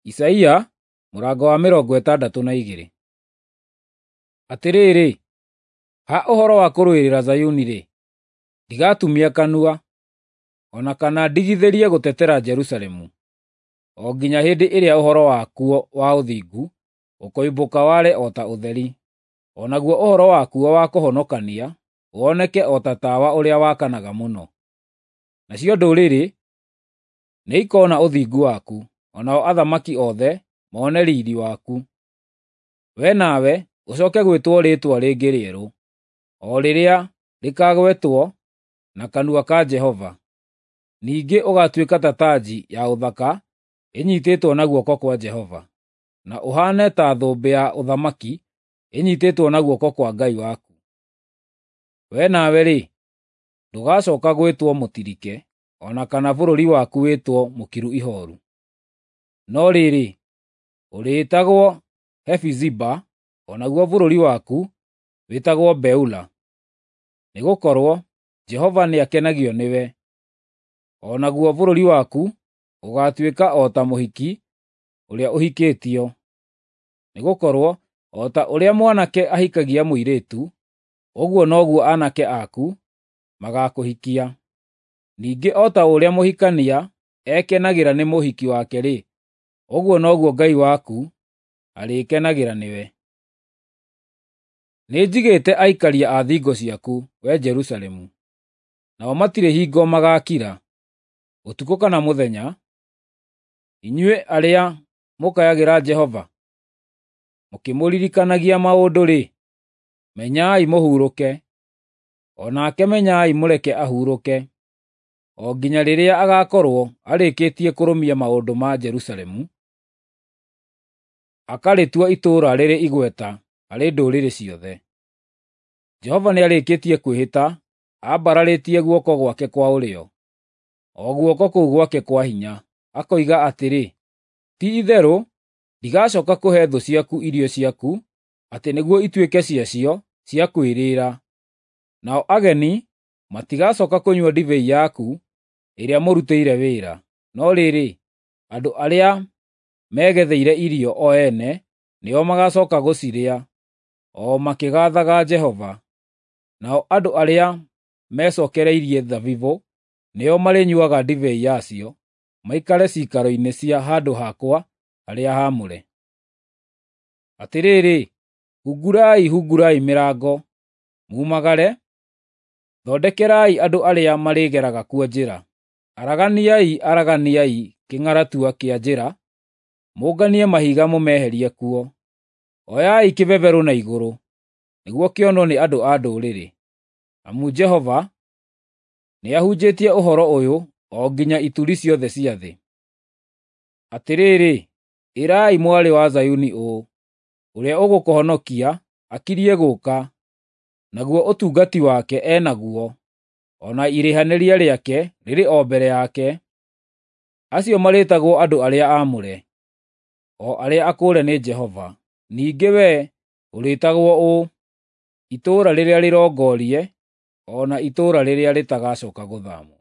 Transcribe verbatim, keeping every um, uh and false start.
Isaia mũrango wa mĩrongo ĩtandatũ na igĩrĩ. Atĩrĩrĩ, ha ũhoro wa kũrũĩrĩra Zayuni-rĩ, ndigatumia kanua, o na kana ndigithĩrie gũtetera Jerusalemu, o nginya hĩndĩ ĩrĩa ũhoro wakuo wa ũthingu ũkoimbũka ware o ta ũtheri, o naguo ũhoro wakuo wa kũhonokania woneke o ta tawa ũrĩa wakanaga mũno. Nacio ndũrĩrĩ nĩikoona ũthingu waku, o nao athamaki othe mone riiri waku. Wee nawe ũcooke gwĩtwo rĩĩtwa rĩngĩ rĩerũ, o rĩrĩa rĩkaagwetwo na kanua ka Jehova. Ningĩ ũgaatuĩka ta tanji ya ũthaka ĩnyiitĩtwo na guoko kwa Jehova, na ũhaane ta thũmbĩ ya ũthamaki ĩnyiitĩtwo na guoko kwa Ngai waku. Wee nawe-rĩ, ndũgacooka gwĩtwo Mũtirike, o na kana bũrũri waku wĩtwo Mũkiru Ihooru. No rĩrĩ, ũrĩĩtagwo Hefiziba, o naguo bũrũri waku wĩtagwo Beula, nĩgũkorwo Jehova nĩakenagio nĩwe, o naguo bũrũri waku ũgaatuĩka o ta mũhiki ũrĩa ũhikĩtio. Nĩgũkorwo o ta ũrĩa mwanake ahikagia mũirĩtu, ũguo noguo aanake aku magaakũhikia. Ningĩ o ta ũrĩa mũhikania ekenagĩra nĩ mũhiki wake-rĩ, ũguo noguo Ngai waku arĩkenagĩra nĩwe. Nĩnjigĩte aikaria a thingo ciaku, wee Jerusalemu, nao matirĩ hingo magaakira, ũtukũ kana mũthenya. Inyuĩ arĩa mũkayagĩra Jehova, mũkĩmũririkanagia maũndũ-rĩ, menyai mũhurũke, o nake menyai mũreke ahurũke, o nginya rĩrĩa agaakorwo arĩkĩtie kũrũmia maũndũ ma Jerusalemu, akarĩtua itũũra rĩrĩ igweta harĩ ndũrĩrĩ ciothe. Jehova nĩarĩkĩtie kwĩhĩta ambararĩtie guoko gwake kwa ũrĩo, o guoko kũu gwake kwa hinya, akoiga atĩrĩ, “Ti-itherũ ndigacooka kũhe thũ ciaku irio ciaku atĩ nĩguo ituĩke ciacio cia kwĩrĩĩra, nao ageni matigacooka kũnyua ndibei yaku ĩrĩa mũrutĩire wĩra. No rĩrĩ, andũ arĩa megetheire irio o ene nĩo magaacooka gũcirĩa, o makĩgaathaga Jehova. Nao andũ arĩa mecookereirie thabibũ nĩo marĩnyuuaga ndibei yacio, maikare ciikaro-inĩ cia handũ hakwa harĩa haamũre. Atĩrĩrĩ, hungurai, hungurai mĩrango, mumagare! Thondekerai andũ arĩa marĩgeraga kuo njĩra. Araganiai, araganiai kĩng'aratua kĩa njĩra, mũnganie mahiga mũmeherie kuo. Oyai kĩbeberũ na igũrũ, nĩguo kĩonwo nĩ andũ a ndũrĩrĩ. Amu Jehova nĩahunjĩtie ũhoro ũyũ o nginya ituri ciothe cia thĩ. Atĩrĩrĩ, ĩrai mwarĩ wa Zayuni ũũ, “Ũrĩa ũgũkũhonokia akirie gũũka, naguo ũtungati wake e naguo, o na irĩhanĩria rĩake rĩrĩ o mbere yake.” Acio marĩĩtagwo andũ arĩa aamũre, o arĩa akũũre nĩ Jehova. Ningĩ wee ũrĩĩtagwo ũũ, Itũũra rĩrĩa Rĩrongorie, o na Itũũra rĩrĩa Rĩtagacooka Gũthaamwo.